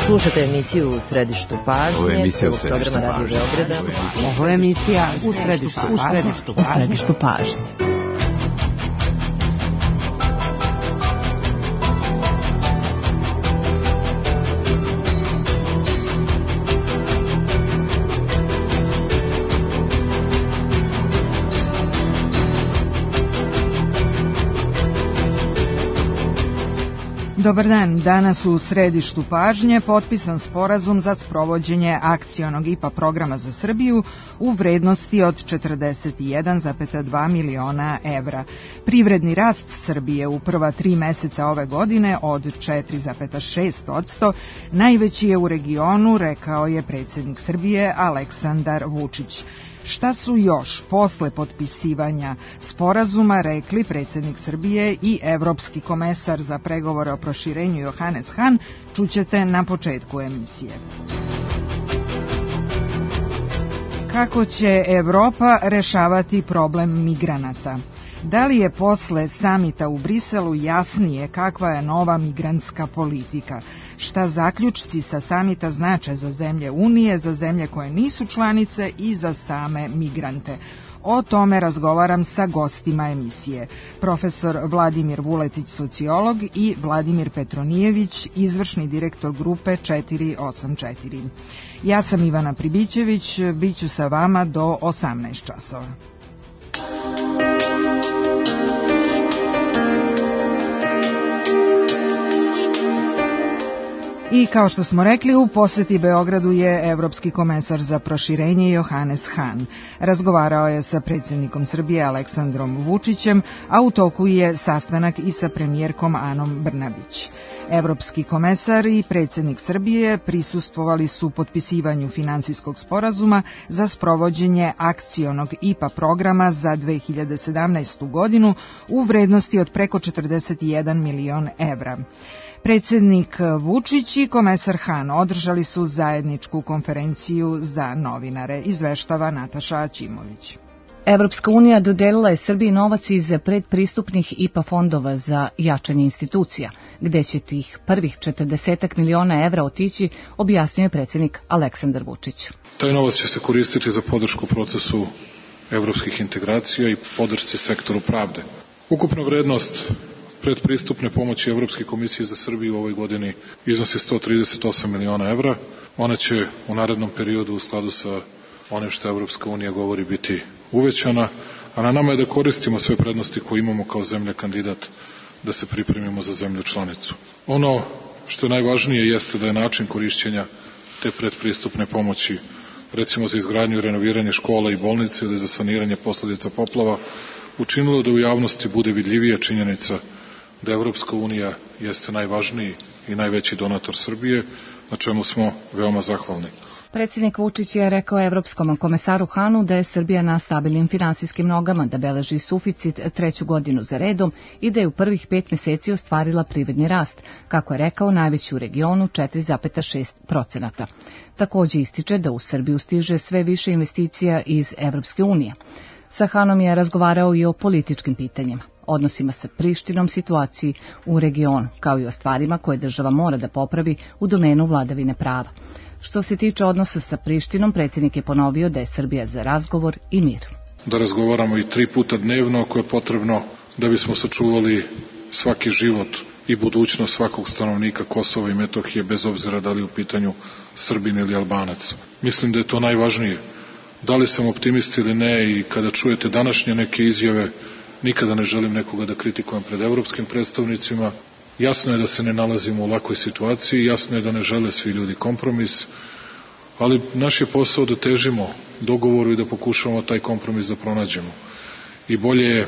Slušate emisiju U središtu pažnje. Ovo je emisija U središtu pažnje. Radio Beograda. Ovo je emisija U središtu pažnje. Dobar dan, danas u središtu pažnje potpisan sporazum za sprovođenje akcionog IPA programa za Srbiju u vrednosti od 41,2 miliona evra. Privredni rast Srbije u prva 3 meseca ove godine od 4,6% najveći je u regionu, rekao je predsjednik Srbije Aleksandar Vučić. Šta su još posle potpisivanja sporazuma rekli predsjednik Srbije i evropski komesar za pregovore o proširenju Johannes Hahn, čućete na početku emisije. Kako će Evropa rešavati problem migranata? Da li je posle samita u Briselu jasnije kakva je nova migrantska politika? Šta zaključci sa samita znače za zemlje Unije, za zemlje koje nisu članice i za same migrante? O tome razgovaram sa gostima emisije. Profesor Vladimir Vuletić, sociolog, i Vladimir Petronijević, izvršni direktor grupe 484. Ja sam Ivana Pribićević, bit ću sa vama do 18 časova. I kao što smo rekli, u poseti Beogradu je evropski komesar za proširenje Johannes Hahn. Razgovarao je sa predsjednikom Srbije Aleksandrom Vučićem, a u toku je sastanak i sa premijerkom Anom Brnabić. Evropski komesar i predsjednik Srbije prisustvovali su potpisivanju finansijskog sporazuma za sprovođenje akcionog IPA programa za 2017. godinu u vrednosti od preko 41 milion evra. Predsjednik Vučić i komesar Hahn održali su zajedničku konferenciju za novinare, izveštava Nataša Aćimović. Evropska unija dodelila je Srbiji novac iz predpristupnih IPA fondova za jačanje institucija, gde će tih prvih 40 miliona evra otići, objasnio je predsjednik Aleksandar Vučić. Taj novac će se koristiti za podršku procesu evropskih integracija i podršci sektoru pravde. Ukupna vrednost predpristupne pomoći Evropske komisije za Srbiju u ovoj godini iznosi 138 miliona evra. Ona će u narednom periodu u skladu sa onim što Evropska unija govori biti uvećana, a na nama je da koristimo sve prednosti koje imamo kao zemlja kandidat da se pripremimo za zemlju članicu. Ono što je najvažnije jeste da je način korišćenja te predpristupne pomoći, recimo za izgradnju i renoviranje škola i bolnice ili za saniranje posledica poplava, učinilo da u javnosti bude vidljivija činjenica da Evropska unija jeste najvažniji i najveći donator Srbije, na čemu smo veoma zahvalni. Predsjednik Vučić je rekao evropskom komesaru Hahnu da je Srbija na stabilnim finansijskim nogama, da beleži suficit 3. godinu za redom i da je u prvih 5 meseci ostvarila privredni rast, kako je rekao, najveći u regionu 4,6%. Također ističe da u Srbiju stiže sve više investicija iz Evropske unije. Sa Hahnom je razgovarao i o političkim pitanjima, odnosima sa Prištinom, situaciji u regionu, kao i o stvarima koje država mora da popravi u domenu vladavine prava. Što se tiče odnosa sa Prištinom, predsjednik je ponovio da je Srbija za razgovor i mir. Da razgovaramo i 3 puta dnevno, ako je potrebno, da bismo sačuvali svaki život i budućnost svakog stanovnika Kosova i Metohije, bez obzira da li u pitanju Srbin ili Albanac. Mislim da je to najvažnije. Da li sam optimist ili ne, i kada čujete današnje neke izjave, nikada ne želim nekoga da kritikujem pred evropskim predstavnicima. Jasno je da se ne nalazimo u lakoj situaciji, jasno je da ne žele svi ljudi kompromis, ali naš je posao da težimo dogovoru i da pokušavamo taj kompromis da pronađemo. I bolje je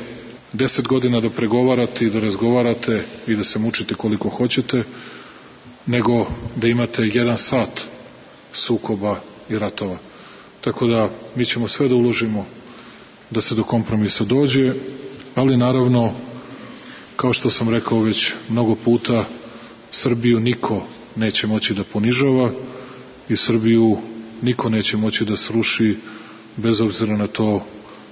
10 godina da pregovarate i da razgovarate i da se mučite koliko hoćete, nego da imate 1 sat sukoba i ratova. Tako da mi ćemo sve da uložimo da se do kompromisa dođe, ali naravno, kao što sam rekao već mnogo puta, Srbiju niko neće moći da ponižava i Srbiju niko neće moći da sruši, bez obzira na to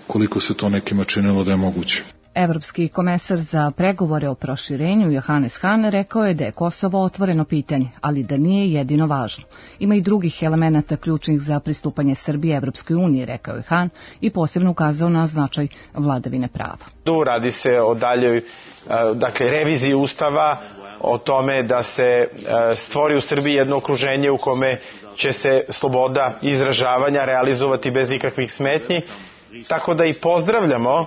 koliko se to nekima činilo da je moguće. Evropski komesar za pregovore o proširenju Johannes Hahn rekao je da je Kosovo otvoreno pitanje, ali da nije jedino važno. Ima i drugih elemenata ključnih za pristupanje Srbije Evropskoj uniji, rekao je Hahn i posebno ukazao na značaj vladavine prava. Tu radi se o daljoj reviziji Ustava, o tome da se stvori u Srbiji jedno okruženje u kome će se sloboda izražavanja realizovati bez ikakvih smetnji. Tako da i pozdravljamo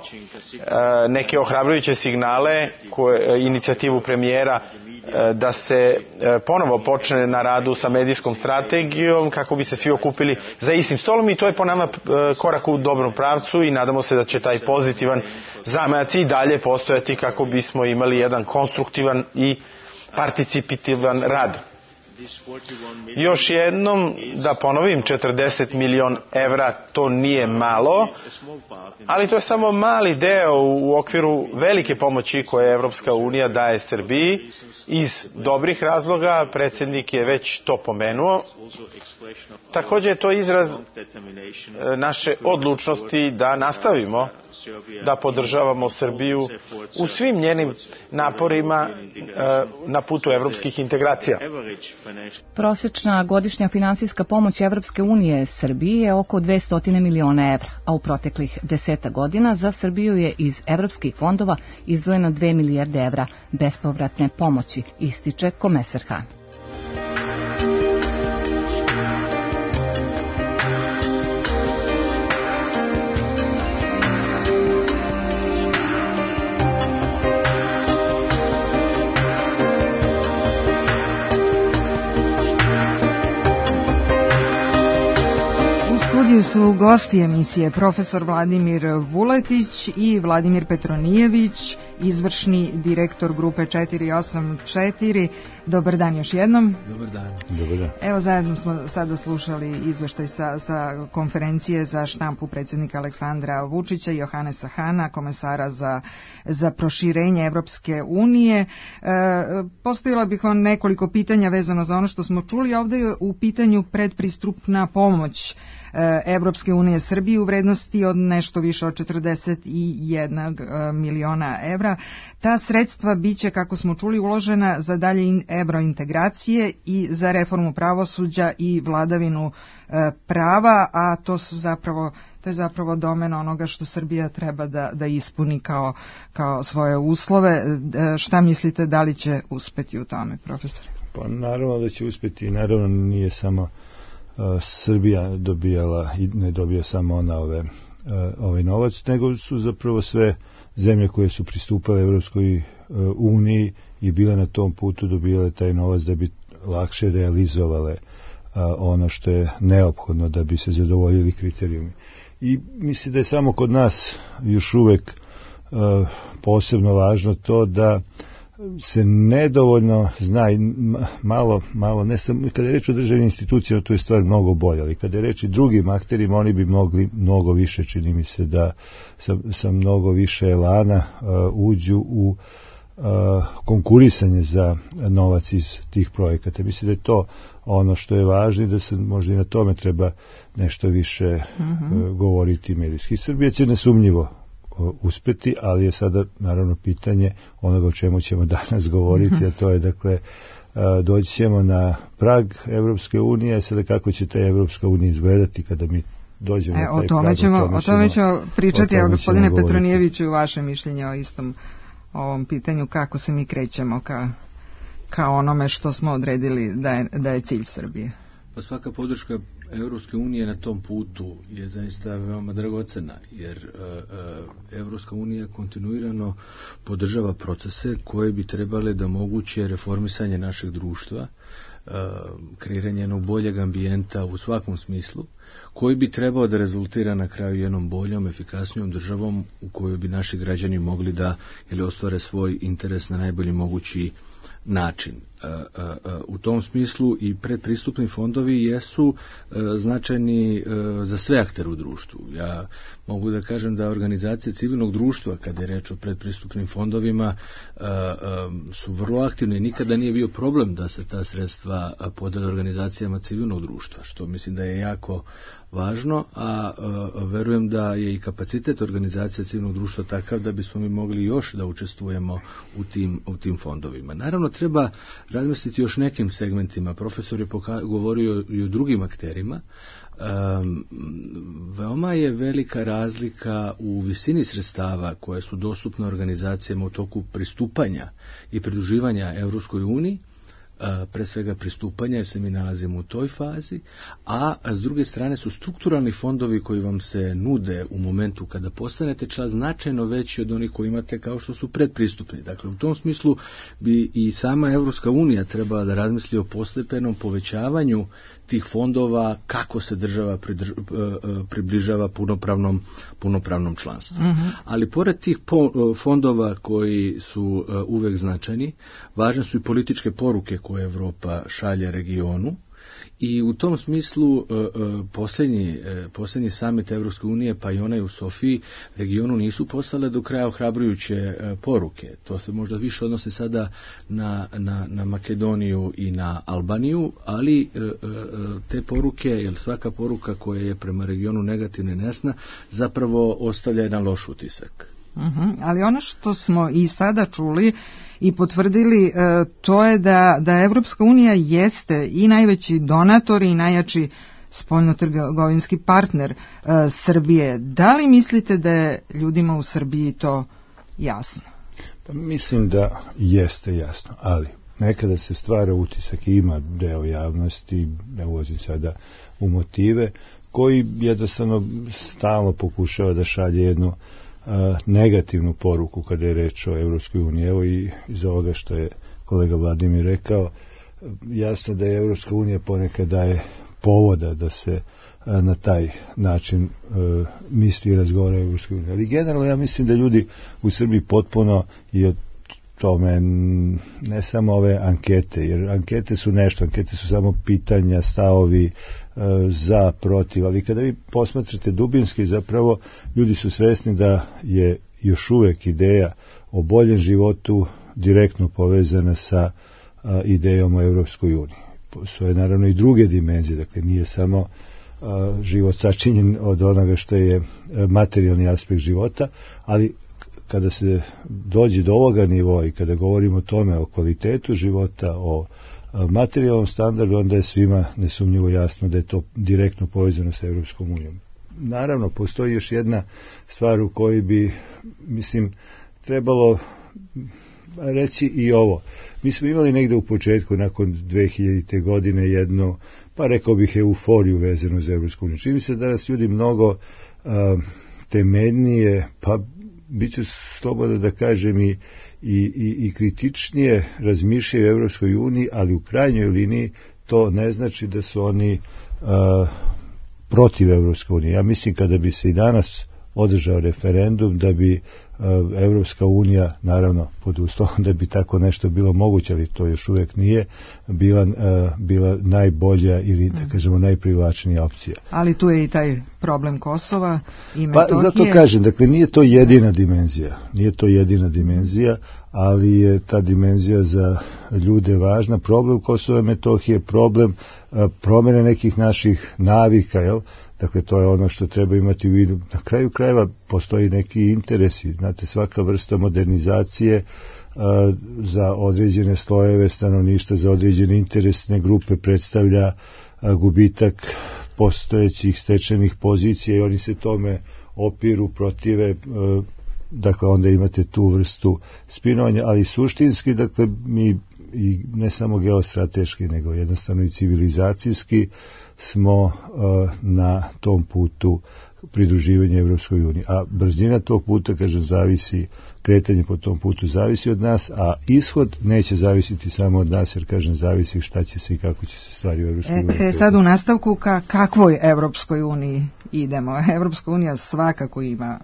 neke ohrabrujuće signale, inicijativu premijera da se ponovo počne na radu sa medijskom strategijom kako bi se svi okupili za istim stolom i to je po nama korak u dobrom pravcu i nadamo se da će taj pozitivan zamajac i dalje postojati kako bismo imali jedan konstruktivan i participativan rad. Još jednom da ponovim, 40 miliona evra to nije malo, ali to je samo mali deo u okviru velike pomoći koje Evropska unija daje Srbiji iz dobrih razloga, predsjednik je već to pomenuo. Također je to izraz naše odlučnosti da nastavimo da podržavamo Srbiju u svim njenim naporima na putu evropskih integracija. Prosječna godišnja finansijska pomoć Evropske unije Srbiji je oko 200 miliona evra, a u proteklih 10 godina za Srbiju je iz evropskih fondova izdvojeno 2 milijarde evra bespovratne pomoći, ističe komesar Hahn. Su gosti emisije profesor Vladimir Vuletić i Vladimir Petronijević, izvršni direktor grupe 484. Dobar dan još jednom. Dobar dan. Evo zajedno smo sada slušali izveštaj sa konferencije za štampu predsjednika Aleksandra Vučića i Johannesa Hahna, komesara za proširenje Evropske unije. Postavila bih vam nekoliko pitanja vezano za ono što smo čuli. Ovdje je u pitanju predpristupna pomoć Evropske unije Srbiji u vrednosti od nešto više od 41 miliona evra. Ta sredstva biće, kako smo čuli, uložena za dalje evrointegracije i za reformu pravosuđa i vladavinu prava, a to je zapravo domen onoga što Srbija treba da ispuni kao svoje uslove. Šta mislite, da li će uspeti u tome, profesor? Pa naravno da će uspeti i naravno nije samo Srbija dobijala i ne dobija samo ona ovaj novac, nego su zapravo sve zemlje koje su pristupale Evropskoj uniji i bile na tom putu dobijale taj novac da bi lakše realizovale ono što je neophodno da bi se zadovoljili kriterijumi. I mislim da je samo kod nas još uvek posebno važno to da se nedovoljno zna i malo ne samo, kada je reč o državnim institucijama to je stvar mnogo bolja, ali kada je reč i drugim akterima oni bi mogli mnogo više, čini mi se da sa mnogo više elana uđu u konkurisanje za novac iz tih projekata. Mislim da je to ono što je važno i da se možda i na tome treba nešto više govoriti medijski. Srbija će nesumnjivo uspeti, ali je sada naravno pitanje onoga o čemu ćemo danas govoriti, a to je dakle doći ćemo na prag Evropske unije, sada kako će ta Evropska unija izgledati kada mi dođemo na taj prag. O tome ćemo pričati, evo gospodine Petronijeviću, vaše mišljenje o istom ovom pitanju, kako se mi krećemo ka onome što smo odredili da je cilj Srbije. Pa svaka podrška Evropske unije na tom putu je zaista veoma dragocena, jer Evropska unija kontinuirano podržava procese koje bi trebale da omoguće reformisanje našeg društva, kreiranje jednog boljeg ambijenta u svakom smislu, koji bi trebao da rezultira na kraju jednom boljom, efikasnijom državom u kojoj bi naši građani mogli da ostvare svoj interes na najbolji mogući način. U tom smislu i predpristupni fondovi jesu značajni za sve aktere u društvu. Ja mogu da kažem da organizacije civilnog društva, kada je reč o predpristupnim fondovima, su vrlo aktivne i nikada nije bio problem da se ta sredstva podele organizacijama civilnog društva, što mislim da je jako važno, a verujem da je i kapacitet organizacija civilnog društva takav da bismo mi mogli još da učestvujemo u tim fondovima. Naravno, treba razmisliti još nekim segmentima. Profesor je govorio i o drugim akterima. Veoma je velika razlika u visini sredstava koje su dostupne organizacijama u toku pristupanja i pridruživanja Evropskoj uniji, pre svega pristupanja, jer se mi nalazimo u toj fazi, a s druge strane su strukturalni fondovi koji vam se nude u momentu kada postanete član značajno veći od onih koji imate kao što su predpristupni. Dakle, u tom smislu bi i sama Evropska unija trebala da razmisli o postepenom povećavanju tih fondova, kako se država približava punopravnom članstvu. Ali pored tih fondova koji su uvek značajni, važne su i političke poruke koje Evropa šalje regionu, i u tom smislu posljednji samit Evropske unije, pa i onaj u Sofiji, regionu nisu poslale do kraja ohrabrujuće poruke. To se možda više odnosi sada na Makedoniju i na Albaniju, ali te poruke, jer svaka poruka koja je prema regionu negativna i nesna, zapravo ostavlja jedan loš utisak. Ali ono što smo i sada čuli i potvrdili, to je da Evropska unija jeste i najveći donator i najjači spoljnotrgovinski partner Srbije. Da li mislite da je ljudima u Srbiji to jasno? Pa mislim da jeste jasno, ali nekada se stvara utisak i ima deo javnosti, ne ulazim sada u motive, koji jednostavno stalno pokušava da šalje jednu negativnu poruku kada je reč o Evropskoj uniji. Evo i iz ovoga što je kolega Vladimir rekao, jasno da je Evropska unija ponekad daje povoda da se na taj način misli i razgovara o Evropskoj uniji. Ali generalno ja mislim da ljudi u Srbiji potpuno i od tome, ne samo ove ankete, jer ankete su nešto, ankete su samo pitanja, stavovi za, protiv, ali kada vi posmatrate dubinski, zapravo ljudi su svesni da je još uvek ideja o boljem životu direktno povezana sa idejom o Evropskoj uniji. Postoje naravno i druge dimenzije, dakle nije samo život sačinjen od onoga što je materijalni aspekt života, ali kada se dođe do ovoga nivoa i kada govorimo o tome, o kvalitetu života, o materijalnom standardu, onda je svima nesumnjivo jasno da je to direktno povezano sa Evropskom unijom. Naravno, postoji još jedna stvar u kojoj bi, mislim, trebalo reći i ovo. Mi smo imali negde u početku, nakon 2000. godine, jednu, pa rekao bih, euforiju vezanu za Evropsku uniju. Čini se danas ljudi mnogo temeljnije, pa bit ću slobodan da kažem i kritičnije razmišljaju o Evropskoj uniji, ali u krajnjoj liniji to ne znači da su oni protiv Evropske unije. Ja mislim kada bi se i danas održao referendum da bi Evropska unija, naravno pod uslovom da bi tako nešto bilo moguće, ali to još uvek nije, bila najbolja ili da kažemo najprivlačnija opcija. Ali tu je i taj problem Kosova i Metohije. Pa zato kažem, dakle nije to jedina dimenzija, ali je ta dimenzija za ljude važna. Problem Kosova i Metohije, problem promene nekih naših navika, jel? Dakle, to je ono što treba imati u vidu. Na kraju krajeva postoji neki interesi. Znate, svaka vrsta modernizacije za određene slojeve stanovništva, za određene interesne grupe predstavlja gubitak postojećih stečenih pozicija i oni se tome opiru, protive, dakle onda imate tu vrstu spinovanja, ali suštinski, dakle, mi i ne samo geostrateški, nego jednostavno i civilizacijski smo na tom putu pridruživanja Evropskoj uniji. A brzina tog puta, kažem, zavisi, kretanje po tom putu zavisi od nas, a ishod neće zavisiti samo od nas, jer, kažem, zavisi šta će se i kako će se stvari u Evropskoj uniji. Sad u nastavku ka kakvoj Evropskoj uniji idemo? Evropska unija svakako ima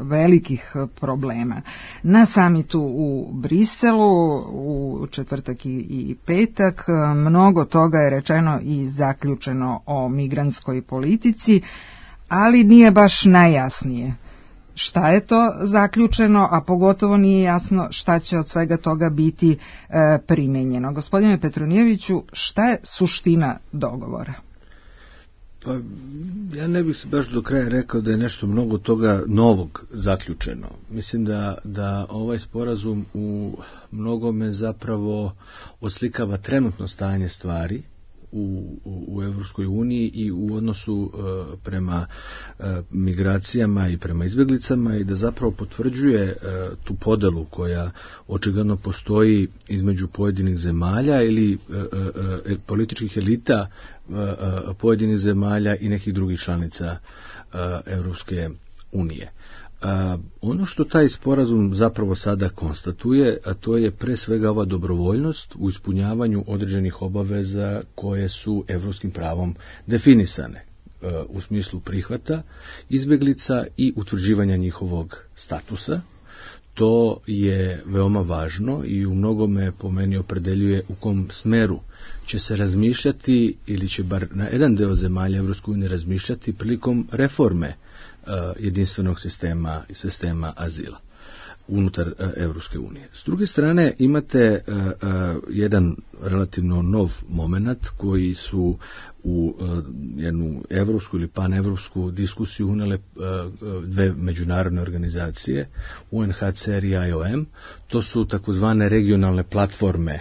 velikih problema. Na samitu u Briselu u četvrtak i petak mnogo toga je rečeno i zaključeno zaključeno o migrantskoj politici, ali nije baš najjasnije šta je to zaključeno, a pogotovo nije jasno šta će od svega toga biti primenjeno. Gospodine Petronijeviću, šta je suština dogovora? Pa ja ne bih se baš do kraja rekao da je nešto mnogo toga novog zaključeno. Mislim da ovaj sporazum u mnogome zapravo oslikava trenutno stanje stvari u Evropskoj uniji i u odnosu prema migracijama i prema izbjeglicama i da zapravo potvrđuje tu podelu koja očigledno postoji između pojedinih zemalja ili političkih elita pojedinih zemalja i nekih drugih članica Evropske unije. Ono što taj sporazum zapravo sada konstatuje, a to je pre svega ova dobrovoljnost u ispunjavanju određenih obaveza koje su evropskim pravom definisane u smislu prihvata izbjeglica i utvrđivanja njihovog statusa. To je veoma važno i u mnogome po meni opredeljuje u kom smeru će se razmišljati ili će bar na jedan deo zemalja Evropske unije razmišljati prilikom reforme jedinstvenog sistema azila unutar Evropske unije. S druge strane imate jedan relativno nov moment koji su u jednu evropsku ili panevropsku diskusiju unele dve međunarodne organizacije, UNHCR i IOM. To su takozvane regionalne platforme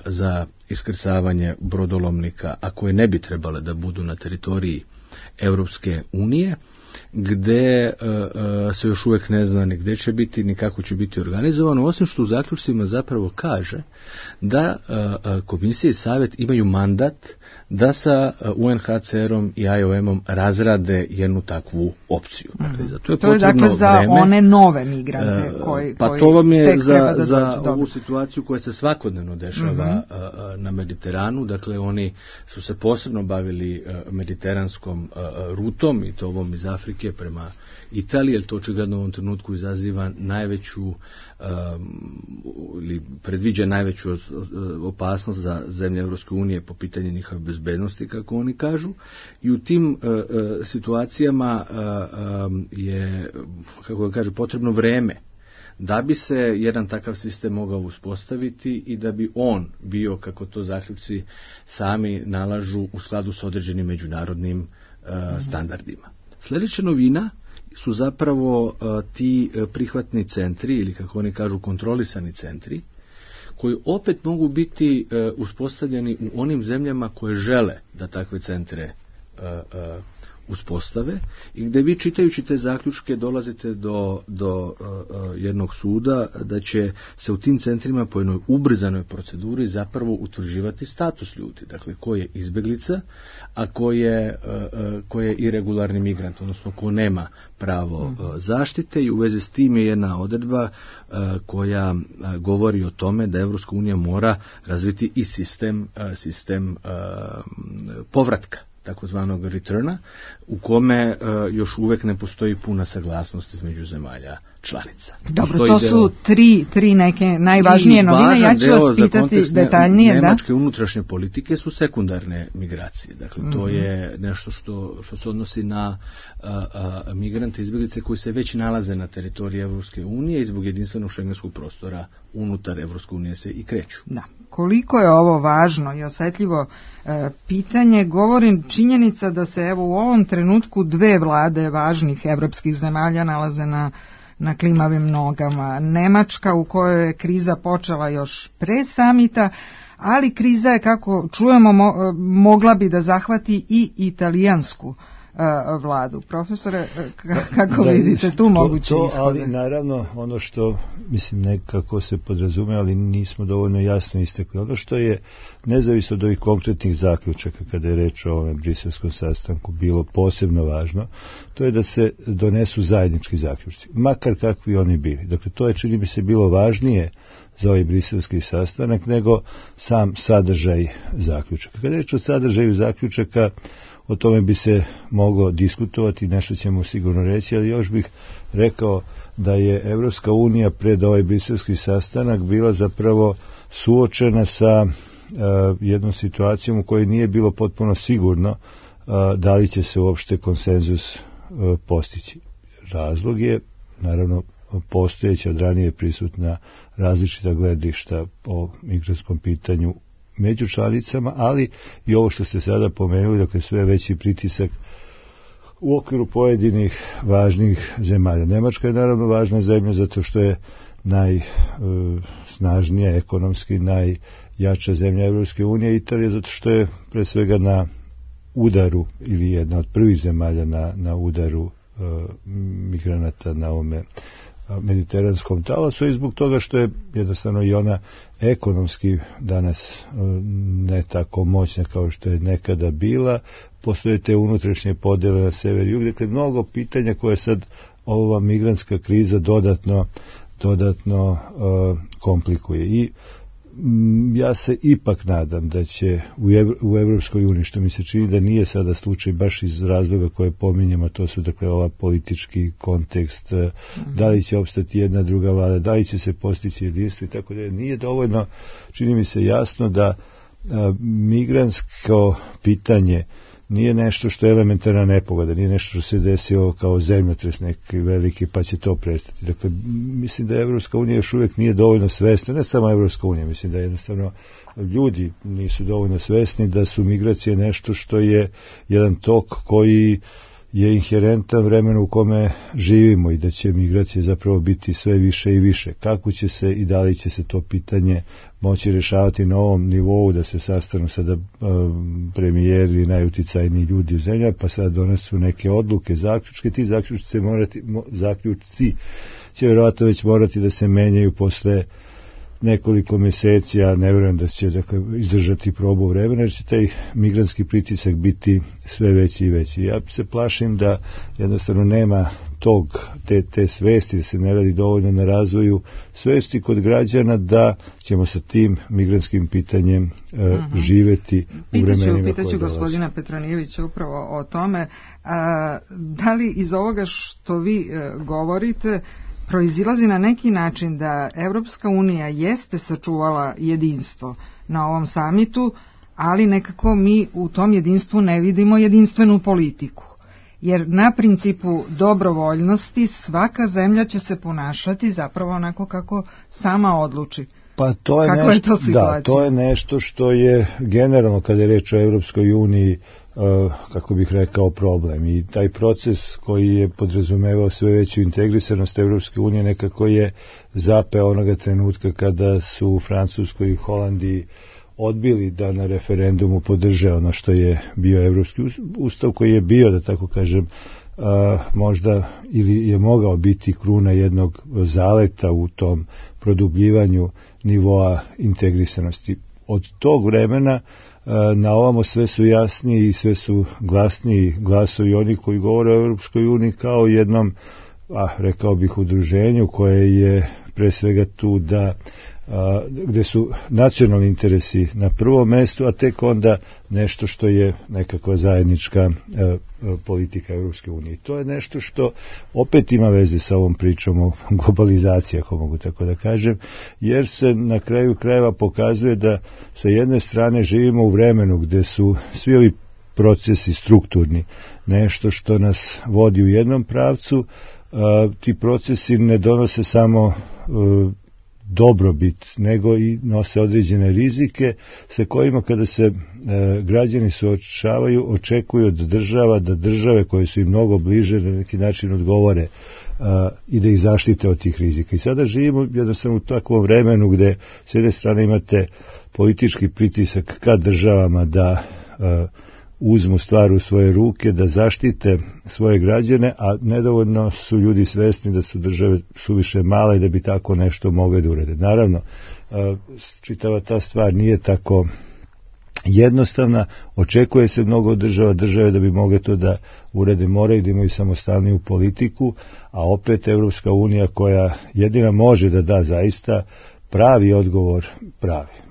za iskrcavanje brodolomnika, a koje ne bi trebale da budu na teritoriji Evropske unije, gde se još uvijek ne zna ni gde će biti, ni kako će biti organizovano, osim što u zaključcima zapravo kaže da komisija i savjet imaju mandat da sa UNHCR-om i IOM-om razrade jednu takvu opciju. Dakle, za to je dakle za vreme, one nove migrante koji pa to vam je za ovu situaciju koja se svakodnevno dešava na Mediteranu. Dakle, oni su se posebno bavili mediteranskom rutom i to ovom iz Afrike prema Italiji, jer to očigledno u ovom trenutku izaziva najveću ili predviđa najveću opasnost za zemlje Evropske unije po pitanju njihove bezbednosti, kako oni kažu. I u tim situacijama je, kako ga kaže, potrebno vreme da bi se jedan takav sistem mogao uspostaviti i da bi on bio, kako to zaključci sami nalažu, u skladu s određenim međunarodnim standardima. Sljedeća novina su zapravo ti prihvatni centri, ili kako oni kažu kontrolisani centri, koji opet mogu biti uspostavljeni u onim zemljama koje žele da takve centre uspostave i gdje vi čitajući te zaključke dolazite do jednog suda da će se u tim centrima po jednoj ubrzanoj proceduri zapravo utvrđivati status ljudi, dakle ko je izbjeglica, a ko je irregularni migrant, odnosno ko nema pravo zaštite. I u vezi s tim je jedna odredba koja govori o tome da Evropska unija mora razviti i sistem povratka, takozvanog returna, u kome još uvijek ne postoji puna saglasnost između zemalja članica. Dobro, to su tri neke najvažnije novine. Ja ću vas pitati detaljnije. Nemačke unutrašnje politike su sekundarne migracije. Dakle, to je nešto što se odnosi na migrante i izbjeglice koji se već nalaze na teritoriji Evropske unije i zbog jedinstvenog šengenskog prostora unutar Evropske unije se i kreću. Da. Koliko je ovo važno i osjetljivo pitanje, govorim činjenica da se evo u ovom trenutku dve vlade važnih evropskih zemalja nalaze na klimavim nogama. Nemačka, u kojoj je kriza počela još pre samita, ali kriza je, kako čujemo, mogla bi da zahvati i italijansku vladu. Profesore, kako vidite tu moguće ishode? Ali naravno ono što mislim nekako se podrazume, ali nismo dovoljno jasno istekli. Ono što je nezavisno od ovih konkretnih zaključaka kada je reč o ovom briselskom sastanku bilo posebno važno, to je da se donesu zajednički zaključci, makar kakvi oni bili. Dakle, to je, čini mi se, bilo važnije za ovaj briselski sastanak nego sam sadržaj zaključaka. Kada je reč o sadržaju zaključaka, o tome bi se moglo diskutovati, nešto ćemo sigurno reći, ali još bih rekao da je Evropska unija pred ovaj briselski sastanak bila zapravo suočena sa jednom situacijom u kojoj nije bilo potpuno sigurno da li će se uopšte konsenzus postići. Razlog je, naravno, postojeća od ranije prisutna različita gledišta o migrantskom pitanju među članicama, ali i ovo što ste sada pomenuli, dakle sve veći pritisak u okviru pojedinih važnih zemalja. Nemačka je naravno važna zemlja zato što je najsnažnija, ekonomski najjača zemlja Evropske unije, Italija zato što je pre svega na udaru ili jedna od prvih zemalja na udaru migranata na ovome mediteranskom talasu i zbog toga što je jednostavno i ona ekonomski danas ne tako moćna kao što je nekada bila, postoje te unutrašnje podele na sever i jug, dakle mnogo pitanja koje sad ova migrantska kriza dodatno komplikuje i ja se ipak nadam da će u Evropskoj uniji, što mi se čini da nije sada slučaj baš iz razloga koje pominjemo, to su dakle ova politički kontekst, da li će opstati jedna druga vlada, da li će se postići jedinstvo i tako da nije dovoljno, čini mi se jasno da migrantsko pitanje nije nešto što je elementarna nepogoda, nije nešto što se desilo kao zemljotres neki veliki pa će to prestati. Dakle, mislim da Evropska unija još uvijek nije dovoljno svesna, ne samo Evropska unija, mislim da jednostavno ljudi nisu dovoljno svesni da su migracije nešto što je jedan tok koji je inherentan vremenu u kome živimo i da će migracije zapravo biti sve više i više. Kako će se i da li će se to pitanje moći rješavati na ovom nivou, da se sastanu sada premijeri, najuticajniji ljudi u zemlji, pa sada donesu neke odluke, zaključke, ti zaključci će vjerojatno već morati da se menjaju posle nekoliko mjeseci, ja ne vjerujem da će izdržati probu vremena, jer će taj migrantski pritisak biti sve veći i veći. Ja se plašim da jednostavno nema te svesti, da se ne radi dovoljno na razvoju svesti kod građana da ćemo sa tim migrantskim pitanjem živeti u vremenima koje dolaze. Pitaću gospodina Petronijevića upravo o tome, da li iz ovoga što vi govorite proizilazi na neki način da Evropska unija jeste sačuvala jedinstvo na ovom samitu, ali nekako mi u tom jedinstvu ne vidimo jedinstvenu politiku. Jer na principu dobrovoljnosti svaka zemlja će se ponašati zapravo onako kako sama odluči. Pa to je nešto što je generalno kada je reč o Evropskoj uniji, kako bih rekao, problem. I taj proces koji je podrazumevao sve veću integrisanost Evropske unije nekako je zapeo onoga trenutka kada su u Francuskoj i Holandiji odbili da na referendumu podrže ono što je bio Evropski ustav, koji je bio, da tako kažem, možda ili je mogao biti kruna jednog zaleta u tom produbljivanju nivoa integrisanosti. Od tog vremena na ovamo sve su jasniji i sve su glasniji glasovi oni koji govore o Europskoj uniji kao jednom, rekao bih, udruženju koje je pre svega tu da gde su nacionalni interesi na prvom mestu, a tek onda nešto što je nekakva zajednička politika Europske unije. To je nešto što opet ima veze sa ovom pričom o globalizaciji, ako mogu tako da kažem, jer se na kraju krajeva pokazuje da sa jedne strane živimo u vremenu gde su svi ovi procesi strukturni, nešto što nas vodi u jednom pravcu, ti procesi ne donose samo dobrobit, nego i nose određene rizike sa kojima kada se građani suočavaju, očekuju od država da države koje su im mnogo bliže na neki način odgovore i da ih zaštite od tih rizika. I sada živimo jednostavno u takvom vremenu gde s jedne strane imate politički pritisak ka državama da uzmu stvar u svoje ruke, da zaštite svoje građane, a nedovoljno su ljudi svesni da su države suviše male i da bi tako nešto mogle da urede. Naravno, čitava ta stvar nije tako jednostavna, očekuje se mnogo od države da bi mogle to da urede, moraju da imaju samostalniju politiku, a opet Evropska unija koja jedina može da da zaista pravi odgovor,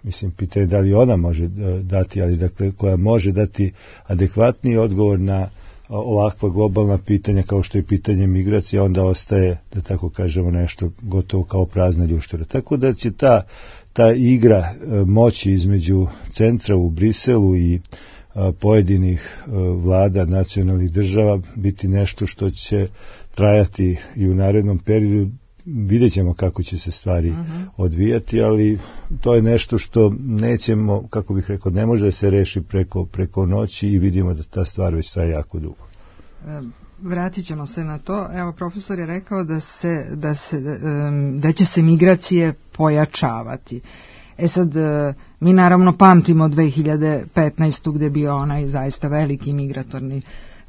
mislim, pitanje da li ona može dati, ali dakle koja može dati adekvatniji odgovor na ovakva globalna pitanja kao što je pitanje migracije, onda ostaje, da tako kažemo, nešto gotovo kao prazna ljuštura. Tako da će ta igra moći između centra u Briselu i pojedinih vlada nacionalnih država biti nešto što će trajati i u narednom periodu. Vidjet ćemo kako će se stvari odvijati, ali to je nešto što nećemo, kako bih rekao, ne može da se reši preko noći i vidimo da ta stvar već traje jako dugo. Vratit ćemo se na to. Evo, profesor je rekao da će se migracije pojačavati. Sad, mi naravno pamtimo 2015. gde je bio onaj zaista veliki migratorni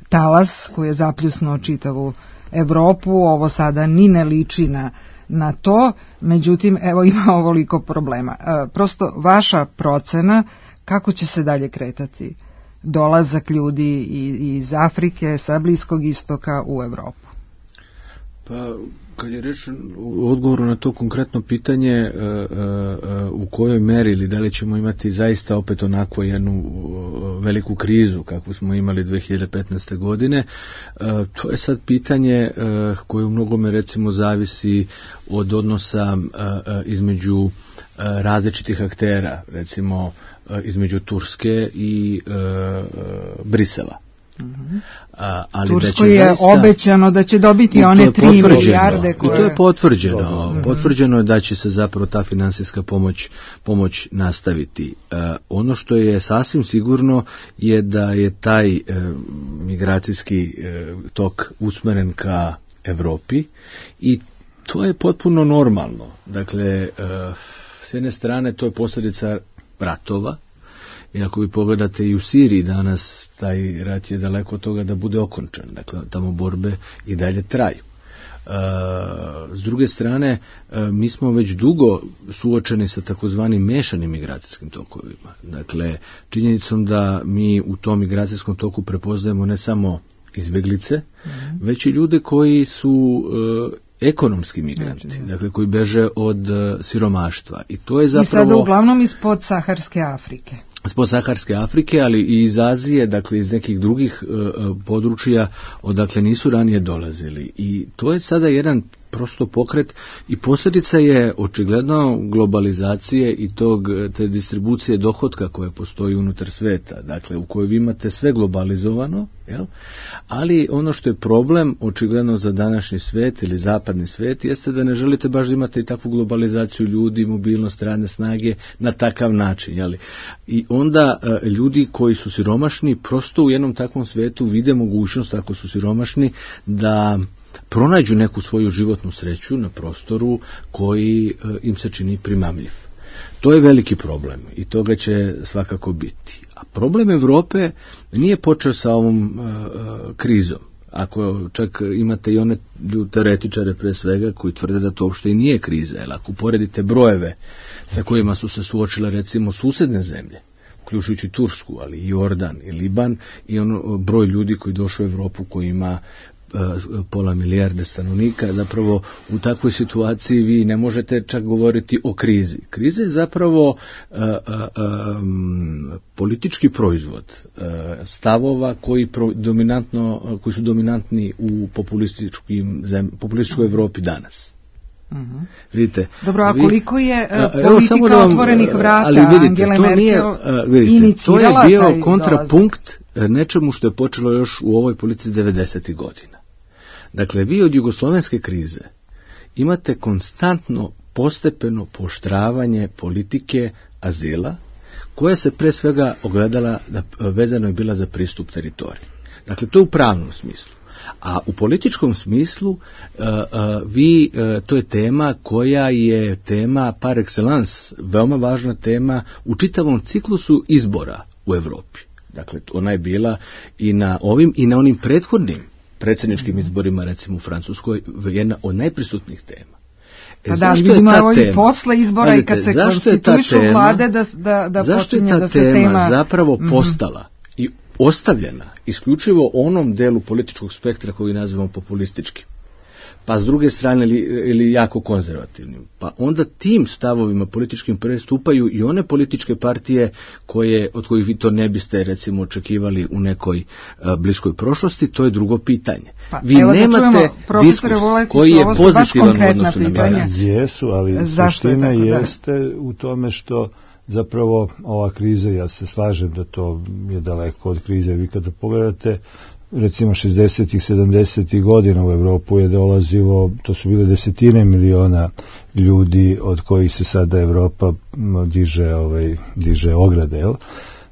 talas koji je zapljusnuo čitavu Evropu. Ovo sada ni ne liči na to, međutim, evo ima ovoliko problema. Prosto vaša procena kako će se dalje kretati dolazak ljudi iz Afrike, sa Bliskog istoka u Evropu? Pa, kad je reč u odgovoru na to konkretno pitanje u kojoj meri ili da li ćemo imati zaista opet onako jednu veliku krizu kakvu smo imali 2015. godine, to je sad pitanje koje u mnogome recimo zavisi od odnosa između različitih aktera, recimo između Turske i Brisela. Ali Turskoj je zaista obećano da će dobiti one 3 milijarde koje... I to je potvrđeno. Potvrđeno je da će se zapravo ta finansijska pomoć nastaviti. Ono što je sasvim sigurno je da je taj migracijski tok usmeren ka Evropi i to je potpuno normalno. Dakle, s jedne strane to je posljedica ratova. I ako vi pogledate i u Siriji danas, taj rat je daleko od toga da bude okončan. Dakle, tamo borbe i dalje traju. S druge strane, mi smo već dugo suočeni sa takozvanim mešanim migracijskim tokovima. Dakle, činjenicom da mi u tom migracijskom toku prepoznajemo ne samo izbjeglice, već i ljude koji su ekonomski migranti, dakle koji beže od siromaštva. I to je zapravo... I sada uglavnom iz podsaharske Afrike. Iz podsaharske Afrike, ali i iz Azije, dakle iz nekih drugih područja odakle nisu ranije dolazili. I to je sada jedan prosto pokret i posljedica je očigledno globalizacije i te distribucije dohotka koje postoji unutar sveta, dakle u kojoj vi imate sve globalizovano, jel? Ali ono što je problem očigledno za današnji svet ili zapadni svet jeste da ne želite baš imati i takvu globalizaciju ljudi, mobilnost radne snage na takav način, jel? I onda ljudi koji su siromašni prosto u jednom takvom svetu vide mogućnost, ako su siromašni, da pronađu neku svoju životnu sreću na prostoru koji im se čini primamljiv. To je veliki problem i toga će svakako biti. A problem Evrope nije počeo sa ovom krizom. Ako čak imate i one teoretičare pre svega koji tvrde da to uopšte i nije kriza, jer ako uporedite brojeve sa kojima su se suočile recimo susedne zemlje, uključujući Tursku, ali i Jordan i Liban, i broj ljudi koji došao u Evropu koji ima pola milijarde stanovnika, zapravo u takvoj situaciji vi ne možete čak govoriti o krizi. Kriza je zapravo politički proizvod stavova koji su dominantni u populističkoj Evropi danas. Vidite, dobro, a koliko je politika otvorenih vrata Angele Merkel inicirala to je bio kontrapunkt nečemu što je počelo još u ovoj politici 90. godina. Dakle, vi od jugoslovenske krize imate konstantno postepeno pooštravanje politike azila, koja se pre svega ogledala, vezano je bila za pristup teritoriji. Dakle, to je u pravnom smislu. A u političkom smislu to je tema koja je tema par excellence, veoma važna tema u čitavom ciklusu izbora u Evropi. Dakle, ona je bila i na ovim i na onim prethodnim predsjedničkim izborima, recimo u Francuskoj, jedna od najprisutnijih tema. Pa da, vidimo i posle izbora i kad se konstituišu vlade da počinje da se tema... Zašto je ta tema zapravo postala i ostavljena isključivo onom delu političkog spektra koji nazivamo populističkim? pa s druge strane ili jako konzervativnim. Pa onda tim stavovima političkim prestupaju i one političke partije od kojih vi to ne biste recimo očekivali u nekoj bliskoj prošlosti, to je drugo pitanje. Pa, vi nemate diskurs koji je pozitivan u odnosu na migracije. Jesu, ali suština jeste u tome što zapravo ova kriza, ja se slažem da to je daleko od krize. Vi kada pogledate recimo 60-ih, 70-ih godina u Evropu je dolazilo, to su bile desetine miliona ljudi od kojih se sada Evropa diže ograde, jel?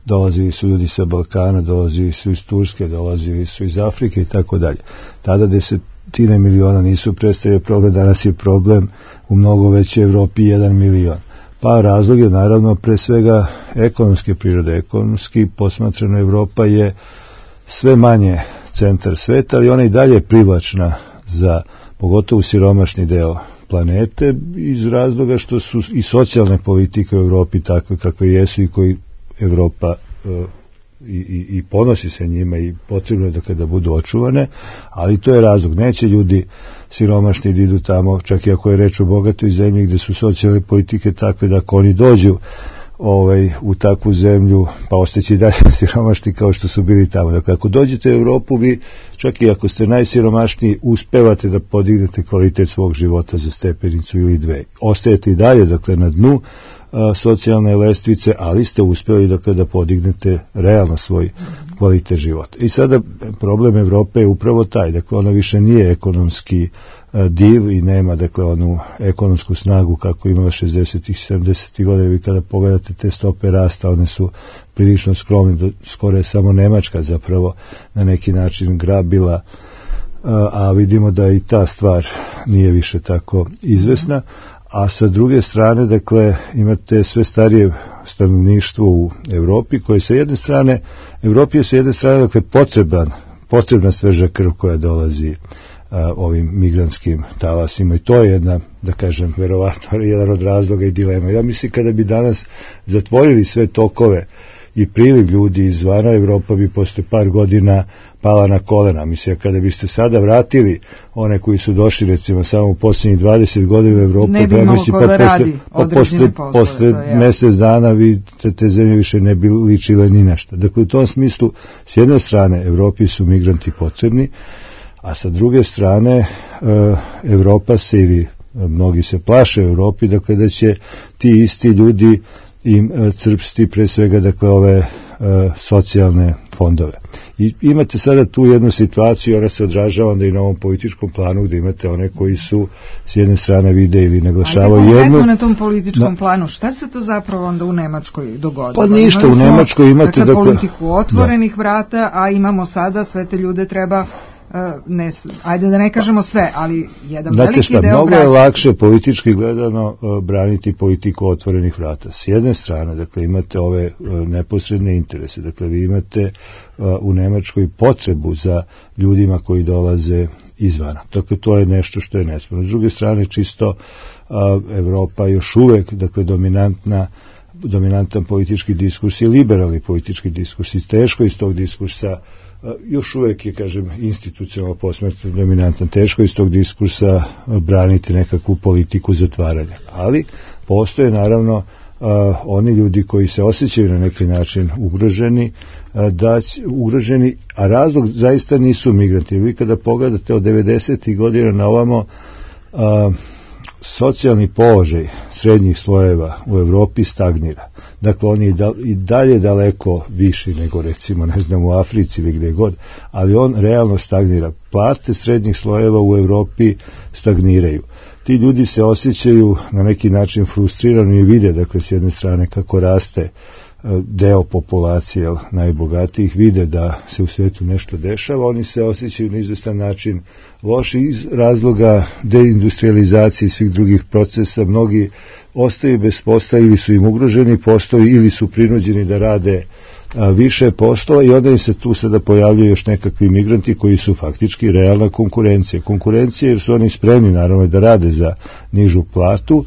Dolazili su ljudi sa Balkana, dolazili su iz Turske, dolazili su iz Afrike i tako dalje. Tada desetine miliona nisu predstavljali problem, danas je problem u mnogo većoj Evropi 1 milion. Pa razlog je naravno pre svega ekonomske prirode. Ekonomski posmatrano Evropa je sve manje centar sveta, ali ona i dalje privlačna za pogotovo siromašni deo planete iz razloga što su i socijalne politike u Evropi takve kakve jesu i koji Evropa i ponosi se njima i potrebno je da kada budu očuvane, ali to je razlog. Neće ljudi siromašni da idu tamo, čak i ako je reč o bogatoj zemlji gde su socijalne politike takve da ako oni dođu u takvu zemlju, pa ostaće i dalje siromašni kao što su bili tamo. Dakle, ako dođete u Evropu, vi čak i ako ste najsiromašniji, uspevate da podignete kvalitet svog života za stepenicu ili dve. Ostajete i dalje, dakle, na dnu socijalne lestvice, ali ste uspeli da podignete realno svoj kvalitet života. I sada problem Evrope je upravo taj, dakle ona više nije ekonomski div i nema dakle onu ekonomsku snagu kako imala 60-ih, 70-ih godina. Vi kada pogledate te stope rasta, one su prilično skromne, skoro je samo Nemačka zapravo na neki način grabila, a vidimo da i ta stvar nije više tako izvesna. A sa druge strane, dakle, imate sve starije stanovništvo u Evropi, koje sa jedne strane, Evropi je sa jedne strane, dakle, potrebna sveža krv koja dolazi ovim migrantskim talasima i to je jedna, da kažem, verovatno jedan od razloga i dilema. Ja mislim kada bi danas zatvorili sve tokove i priliv ljudi izvana, Evropa bi posle par godina pala na kolena. Mislim, kada biste sada vratili one koji su došli, recimo, samo u posljednjih 20 godina u Evropu, ne bi imalo ko da radi određene poslove. Posle mesec dana te zemlje više ne bi ličile ni nešto. Dakle, u tom smislu, s jedne strane, Evropi su migranti potrebni, a sa druge strane, Evropa se ili mnogi se plaše u Evropi, dakle, da će ti isti ljudi im crpsti pre svega dakle ove socijalne fondove. I imate sada tu jednu situaciju, ona se odražava onda i na ovom političkom planu gde imate one koji su s jedne strane vide ili naglašavaju jednu. Na tom političkom planu, šta se to zapravo onda u Nemačkoj dogodilo? Pa ništa, u Nemačkoj imate dakle politiku otvorenih vrata, a imamo sada sve te ljude treba ajde da ne kažemo sve, ali jedan veliki deo mnogo je lakše politički gledano braniti politiku otvorenih vrata. S jedne strane, dakle, imate ove neposredne interese, dakle, vi imate u Nemačkoj potrebu za ljudima koji dolaze izvana. Dakle, to je nešto što je nesporno. S druge strane, čisto Evropa još uvek, dakle, dominantan politički diskurs i liberalni politički diskurs i teško iz tog diskursa još uvek je, kažem, institucionalno posmatrano dominantan. Teško iz tog diskursa braniti nekakvu politiku zatvaranja. Ali postoje naravno oni ljudi koji se osjećaju na neki način ugroženi, a razlog zaista nisu migranti. Vi kada pogledate od 90. godina na ovamo, socijalni položaj srednjih slojeva u Evropi stagnira. Dakle, on je i dalje daleko viši nego recimo, ne znam, u Africi ili gde god, ali on realno stagnira. Plate srednjih slojeva u Evropi stagniraju. Ti ljudi se osjećaju na neki način frustrirano i vide, dakle, s jedne strane kako raste deo populacije najbogatijih, vide da se u svijetu nešto dešava, oni se osjećaju na izvestan način loši iz razloga deindustrializacije i svih drugih procesa. Mnogi ostaju bez posla ili su im ugroženi poslovi ili su prinuđeni da rade više poslova i onda im se tu sada pojavljaju još nekakvi migranti koji su faktički realna konkurencija. Konkurencija jer su oni spremni naravno da rade za nižu platu,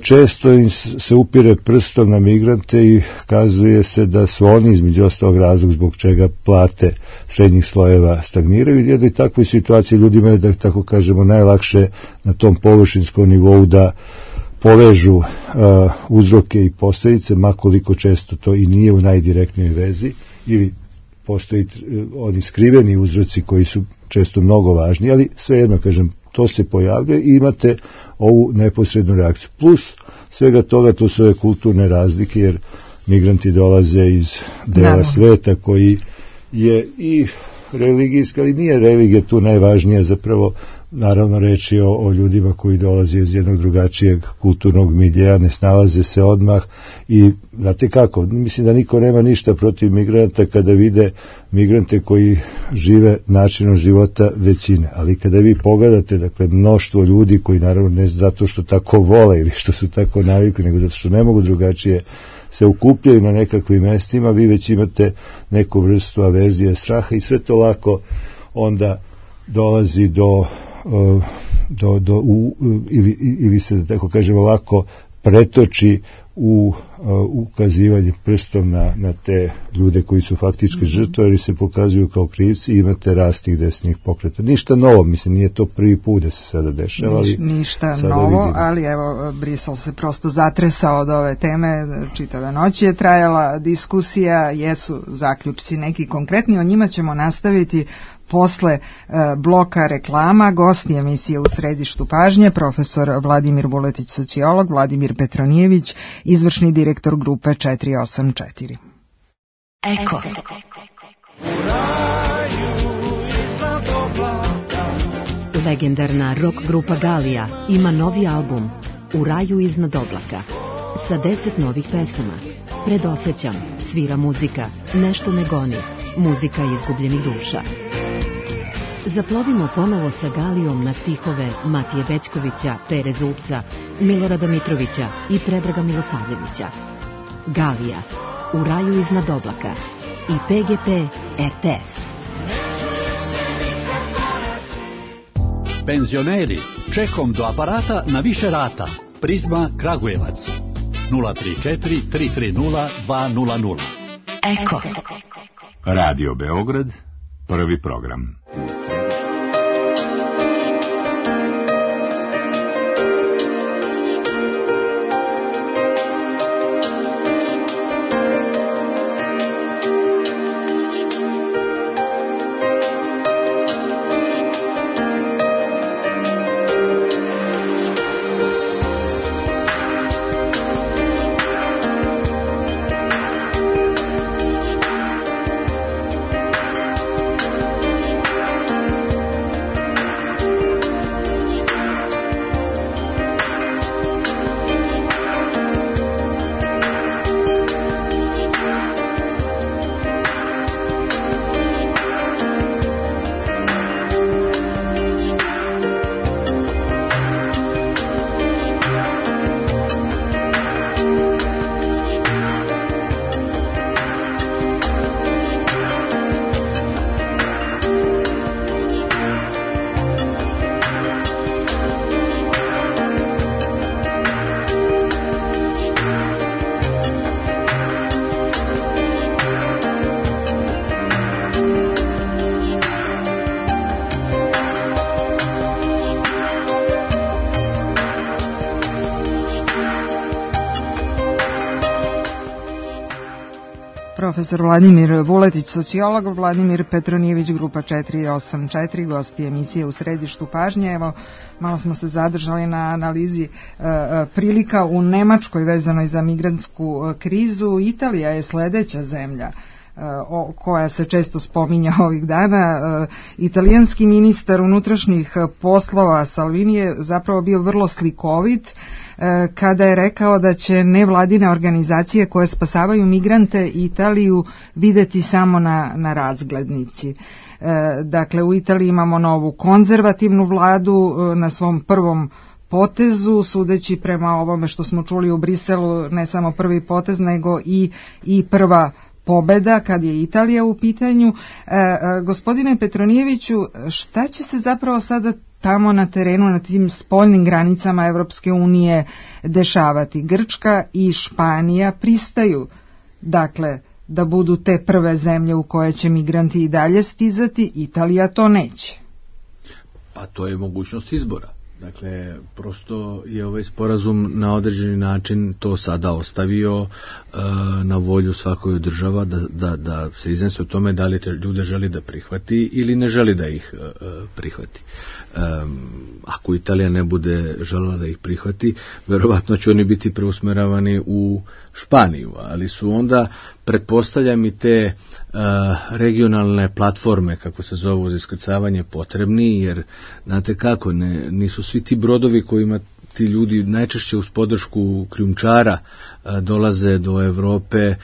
često im se upire prstom na migrante i kazuje se da su oni između ostalog razlog zbog čega plate srednjih slojeva stagniraju. U jednoj takvoj situaciji ljudima je, da tako kažemo, najlakše na tom površinskom nivou da povežu uzroke i posljedice, makoliko često to i nije u najdirektnoj vezi, ili postoji oni skriveni uzroci koji su često mnogo važni, ali svejedno, kažem, to se pojavljuje i imate ovu neposrednu reakciju. Plus svega toga, to su ove kulturne razlike, jer migranti dolaze iz dela sveta koji je i religijska, ali nije religija tu najvažnija, zapravo naravno reč je o ljudima koji dolaze iz jednog drugačijeg kulturnog miljeja, ne snalaze se odmah i znate kako, mislim da niko nema ništa protiv migranta kada vide migrante koji žive načinom života većine, ali kada vi pogledate, dakle, mnoštvo ljudi koji naravno ne zato što tako vole ili što su tako navikli, nego zato što ne mogu drugačije se ukupljaju na nekakvim mestima, vi već imate neku vrstu averzije, straha i sve to lako onda dolazi ili se, da tako kažemo, lako pretoči u ukazivanje prstom na te ljude koji su faktički žrtve, jer se pokazuju kao krivci i imate rast tih desnih pokreta. Ništa novo, mislim, nije to prvi put da se sada dešava. Ali ništa novo, vidimo. Ali evo, Brisel se prosto zatresao od ove teme, čitave noći je trajala diskusija, jesu zaključci neki konkretni, o njima ćemo nastaviti posle bloka reklama. Gosti emisije U središtu pažnje, profesor Vladimir Vuletić, sociolog, Vladimir Petronijević, izvršni direktor grupe 484. Eko. Legendarna rock grupa Galija ima novi album U raju iznad oblaka sa 10 novih pesama. Predosećam, svira muzika, nešto me goni, muzika izgubljenih duša. Zaplovimo ponovo sa Galijom na stihove Matije Bećkovića, Pere Zubca, Milorada Mitrovića i Predraga Milosavljevića. Galija, U raju iznad oblaka i PGP RTS. Penzioneri, čekom do aparata na više rata. Prizma Kragujevac. 034 330 200. Eko. Radio Beograd, prvi program. Profesor Vladimir Vuletić, sociolog, Vladimir Petronijević, grupa 484, gosti emisije U središtu pažnje. Evo, malo smo se zadržali na analizi prilika u Nemačkoj vezanoj za migrantsku krizu. Italija je sledeća zemlja koja se često spominja ovih dana. Italijanski ministar unutrašnjih poslova Salvini je zapravo bio vrlo slikovit kada je rekao da će nevladine organizacije koje spasavaju migrante Italiju videti samo na razglednici. Dakle, u Italiji imamo novu konzervativnu vladu na svom prvom potezu, sudeći prema ovome što smo čuli u Briselu, ne samo prvi potez, nego i prva pobeda kad je Italija u pitanju. Gospodine Petronijeviću, šta će se zapravo sada tamo na terenu, na tim spoljnim granicama Evropske unije dešavati? Grčka i Španija pristaju, dakle, da budu te prve zemlje u koje će migranti i dalje stizati, Italija to neće. Pa to je mogućnost izbora. Dakle, prosto je ovaj sporazum na određeni način to sada ostavio na volju svakoj država da se iznese o tome da li te ljude želi da prihvati ili ne želi da ih prihvati. Ako Italija ne bude želela da ih prihvati, verovatno će oni biti preusmeravani u Španiju, ali su onda, pretpostavljam, i te regionalne platforme, kako se zovu, za iskrcavanje potrebni, jer znate kako, nisu svi ti brodovi kojima ti ljudi najčešće uz podršku krijumčara dolaze do Evrope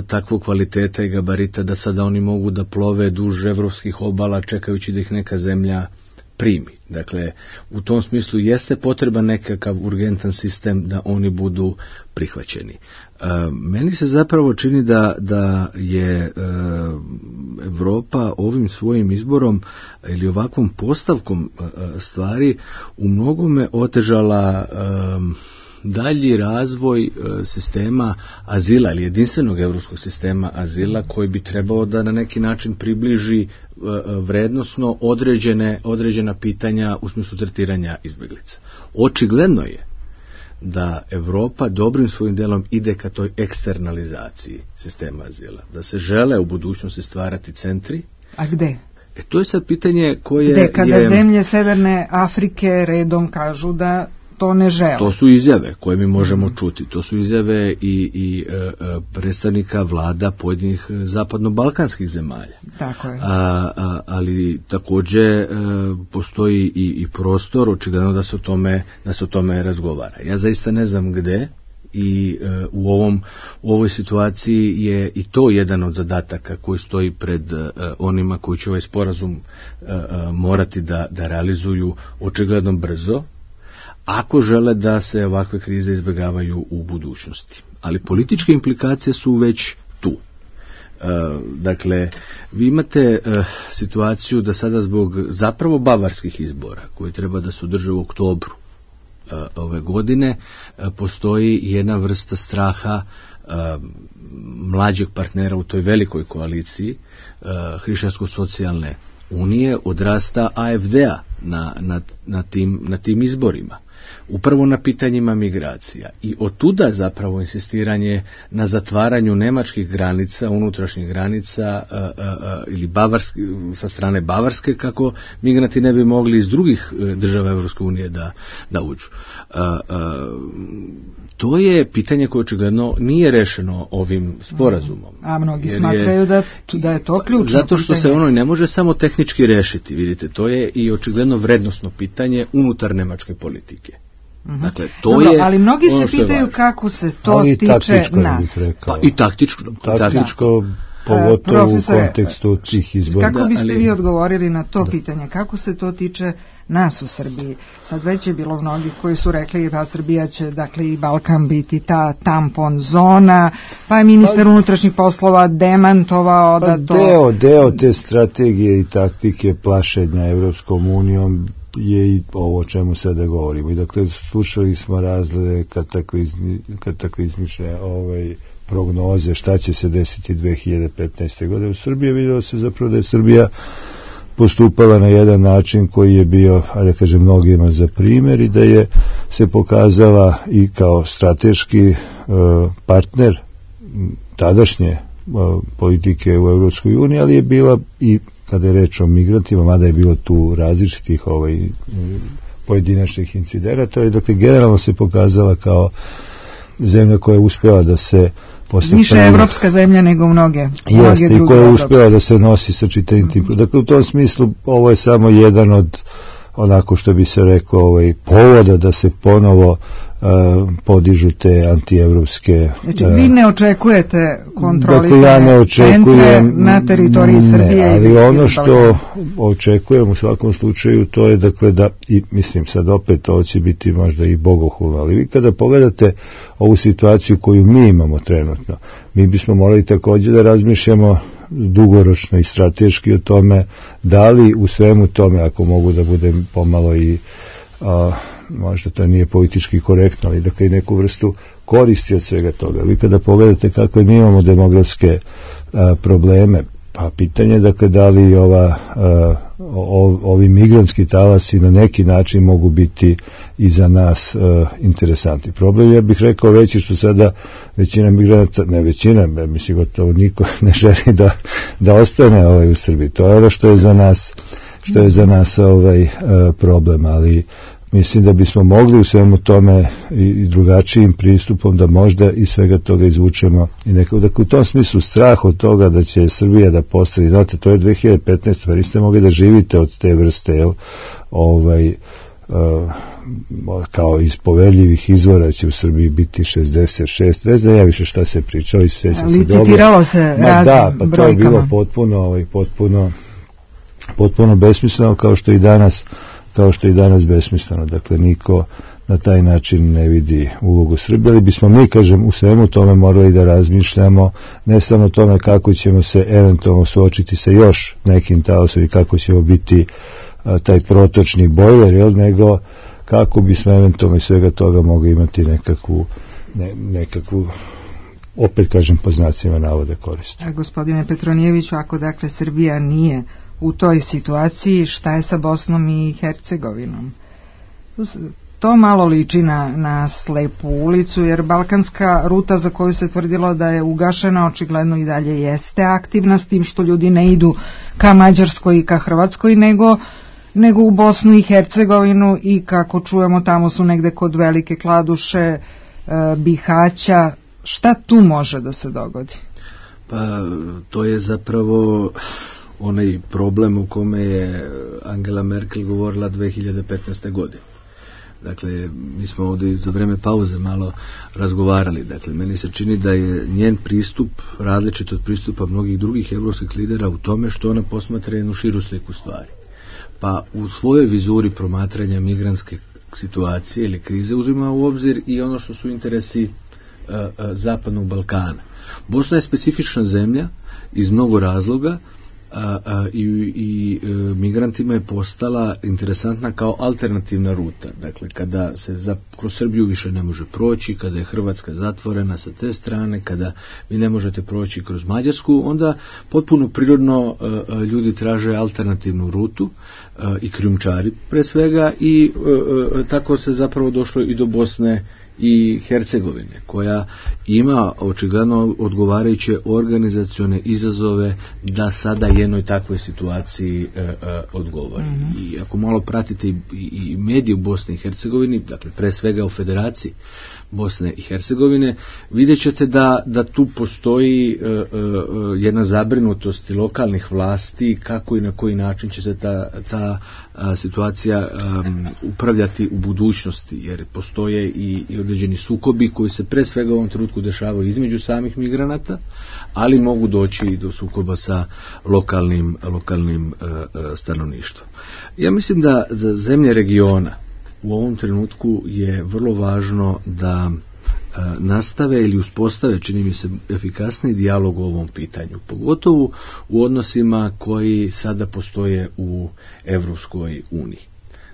takvog kvaliteta i gabarita da sada oni mogu da plove duž evropskih obala čekajući da ih neka zemlja primi. Dakle, u tom smislu jeste potreban nekakav urgentan sistem da oni budu prihvaćeni. Meni se zapravo čini da je Evropa ovim svojim izborom ili ovakvom postavkom stvari u mnogome otežala dalji razvoj sistema azila ili jedinstvenog evropskog sistema azila koji bi trebao da na neki način približi vrednosno određena pitanja u smislu tretiranja izbjeglica. Očigledno je da Evropa dobrim svojim delom ide ka toj eksternalizaciji sistema azila, da se žele u budućnosti stvarati centri. A gde? To je sad pitanje koje gde, kada zemlje Severne Afrike redom kažu da to ne žele. To su izjave koje mi možemo čuti. To su izjave i predstavnika vlada pojedinih zapadno-balkanskih zemalja. Tako je. Ali također postoji i prostor, očigledno da se o tome razgovara. Ja zaista ne znam gde i u ovoj situaciji je i to jedan od zadataka koji stoji pred onima koji će ovaj sporazum morati da realizuju očigledno brzo, ako žele da se ovakve krize izbjegavaju u budućnosti. Ali političke implikacije su već tu. Dakle, vi imate situaciju da sada zbog zapravo bavarskih izbora, koji treba da se održe u oktobru ove godine, postoji jedna vrsta straha mlađeg partnera u toj velikoj koaliciji Hrišćansko-socijalne unije, odrasta AfD-a na tim izborima. Upravo na pitanjima migracija. I otuda zapravo insistiranje na zatvaranju nemačkih granica, unutrašnjih granica ili sa strane Bavarske, kako migranti ne bi mogli iz drugih država Evropske unije da uđu. To je pitanje koje očigledno nije rešeno ovim sporazumom. A mnogi smatraju da je to ključno. Zato što se ono ne može samo tehnički rešiti, vidite, to je i očigledno vrednosno pitanje unutar nemačke politike. Dakle, ali mnogi se pitaju kako se to tiče nas. Pa i taktičko, pogotovo u kontekstu tih izbora. Kako biste vi odgovorili na to pitanje? Kako se to tiče nas u Srbiji? Sad već je bilo mnogi koji su rekli da Srbija će, dakle, i Balkan biti ta tampon zona, pa je ministar unutrašnjih poslova demantovao da to... Deo te strategije i taktike plašenja Evropskom unijom je i ovo o čemu sada govorimo. I dakle, slušali smo razne kataklizmične prognoze šta će se desiti 2015. godine u Srbiji. Vidjelo se zapravo da je Srbija postupala na jedan način koji je bio, da kažem, mnogima za primjer i da je se pokazala i kao strateški partner tadašnje politike u Evropskoj uniji, ali je bila i kada je reč o migrantima, mada je bilo tu različitih pojedinačnih incidenata, i dakle generalno se pokazala kao zemlja koja je uspjela da se više evropska zemlja nego mnoge jeste, i koja je uspjela da se nosi sa čitavim tim. Dakle, u tom smislu ovo je samo jedan od, onako što bi se reklo, povoda da se ponovo podižu te antievropske... Znači, vi ne očekujete kontrolisane centre na teritoriji Srbije? Ali ono što očekujem u svakom slučaju, to je, dakle, da, i mislim sad opet ovo će biti možda i bogohulno, ali vi kada pogledate ovu situaciju koju mi imamo trenutno, mi bismo morali također da razmišljamo dugoročno i strateški o tome da li u svemu tome, ako mogu da budem pomalo i možda to nije politički korektno, ali dakle i neku vrstu koristi od svega toga. Vi kada pogledate kako mi imamo demografske probleme, pa pitanje je dakle da li ovi migrantski talasi na neki način mogu biti i za nas interesantni. Problem, ja bih rekao, veći što sada većina migranata, ne većina, mislim gotovo niko ne želi da ostane u Srbiji. To je ono što je za nas problem, ali mislim da bismo mogli u svemu tome i drugačijim pristupom da možda iz svega toga izvučemo i nekako. Dakle, u tom smislu strah od toga da će Srbija da postane, znate, to je 2015. pa niste mogli da živite od te vrste, kao iz poverljivih izvora će u Srbiji biti 66, ne znam ja više šta se pričao i sve se licitiralo se raznim pa brojkama. To je bilo potpuno besmisleno kao što i danas besmisleno. Dakle, niko na taj način ne vidi ulogu Srbije, ali bismo mi, kažem, u svemu tome morali da razmišljamo ne samo o tome kako ćemo se eventualno suočiti sa još nekim talasom i kako ćemo biti taj protočni bojler, nego kako bismo eventualno iz svega toga mogli imati nekakvu opet kažem po znacima navode korist. Gospodine Petronijeviću, ako dakle Srbija nije u toj situaciji, šta je sa Bosnom i Hercegovinom? To malo liči na slepu ulicu, jer balkanska ruta za koju se tvrdilo da je ugašena očigledno i dalje jeste aktivna, s tim što ljudi ne idu ka Mađarskoj i ka Hrvatskoj, nego u Bosnu i Hercegovinu, i kako čujemo tamo su negde kod Velike Kladuše, Bihaća. Šta tu može da se dogodi? Pa to je zapravo onaj problem u kome je Angela Merkel govorila 2015. godine. Dakle, mi smo ovdje za vreme pauze malo razgovarali. Dakle, meni se čini da je njen pristup različit od pristupa mnogih drugih evropskih lidera u tome što ona posmatra jednu širu sliku stvari. Pa u svojoj vizuri promatranja migrantske situacije ili krize uzima u obzir i ono što su interesi Zapadnog Balkana. Bosna je specifična zemlja iz mnogo razloga i migrantima je postala interesantna kao alternativna ruta. Dakle, kada se kroz Srbiju više ne može proći, kada je Hrvatska zatvorena sa te strane, kada vi ne možete proći kroz Mađarsku, onda potpuno prirodno ljudi traže alternativnu rutu i krijumčari pre svega, i tako se zapravo došlo i do Bosne i Hercegovine, koja ima očigledno odgovarajuće organizacione izazove da sada jednoj takvoj situaciji odgovori. I ako malo pratite i medije u Bosni i Hercegovini, dakle pre svega u Federaciji Bosne i Hercegovine, vidjet ćete da tu postoji jedna zabrinutost lokalnih vlasti kako i na koji način će se ta situacija upravljati u budućnosti, jer postoje i određeni sukobi koji se pre svega u ovom trenutku dešavaju između samih migranata, ali mogu doći i do sukoba sa lokalnim stanovništvom. Ja mislim da za zemlje regiona u ovom trenutku je vrlo važno da nastave ili uspostave, čini mi se, efikasni dijalog o ovom pitanju, pogotovo u odnosima koji sada postoje u Evropskoj uniji.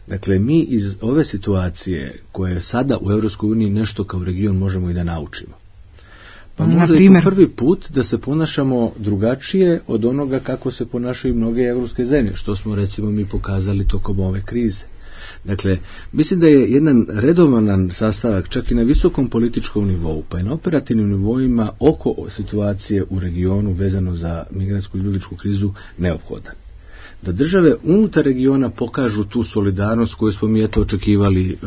Dakle, mi iz ove situacije koje sada u Evropskoj uniji nešto kao region možemo i da naučimo. Pa možda je to prvi put da se ponašamo drugačije od onoga kako se ponašaju mnoge evropske zemlje, što smo recimo mi pokazali tokom ove krize. Dakle, mislim da je jedan redovan sastavak čak i na visokom političkom nivou, pa i na operativnim nivoima oko situacije u regionu vezano za migrantsku i ljudičku krizu neophodan. Da države unutar regiona pokažu tu solidarnost koju smo mi očekivali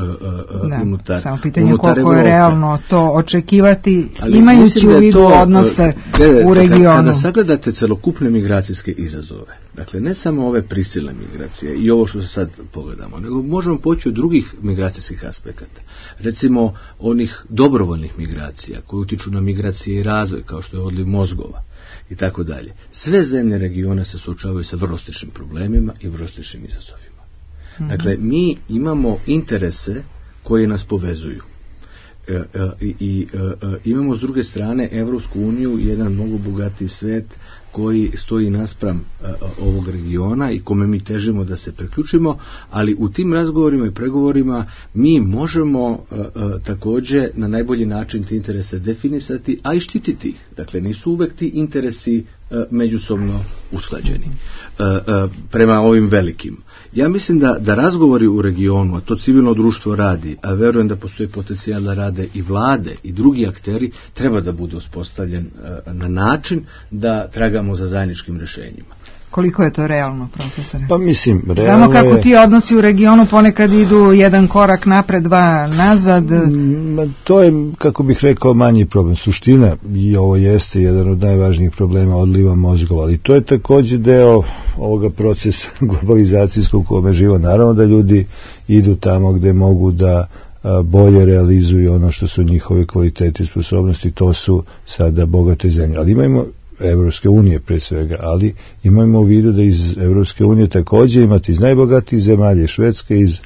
unutar samo pitanje koliko je realno to očekivati, imajući u vidu odnose u regionu. Kada sagledate celokupne migracijske izazove, dakle ne samo ove prisilne migracije i ovo što se sad pogledamo, nego možemo poći od drugih migracijskih aspekata. Recimo onih dobrovoljnih migracija koje utiču na migracije i razvoj, kao što je odliv mozgova i tako dalje. Sve zemlje regiona se suočavaju sa vrlo sličnim problemima i vrlo sličnim izazovima. Dakle, mi imamo interese koji nas povezuju. Imamo s druge strane Evropsku uniju, jedan mnogo bogatiji svet koji stoji naspram ovog regiona i kome mi težimo da se priključimo, ali u tim razgovorima i pregovorima mi možemo takođe na najbolji način te interese definisati, a i štititi ih. Dakle, nisu uvek ti interesi međusobno usklađeni prema ovim velikim. Ja mislim da razgovori u regionu, a to civilno društvo radi, a verujem da postoji potencijal da rade i vlade i drugi akteri, treba da bude uspostavljen na način da tragamo za zajedničkim rešenjima. Koliko je to realno, profesore? Pa mislim, realno znamo kako ti odnosi u regionu ponekad idu jedan korak napred, dva nazad. To je, kako bih rekao, manji problem. Suština, i ovo jeste jedan od najvažnijih problema, odliva mozgova, ali to je također deo ovoga procesa globalizacijskog u kome živo. Naravno da ljudi idu tamo gde mogu da bolje realizuju ono što su njihove kvalitete i sposobnosti, to su sada bogate zemlje. Ali imamo Evropske unije pre svega, ali imamo u vidu da iz Evropske unije također imate iz najbogatijih zemalja, Švedske, iz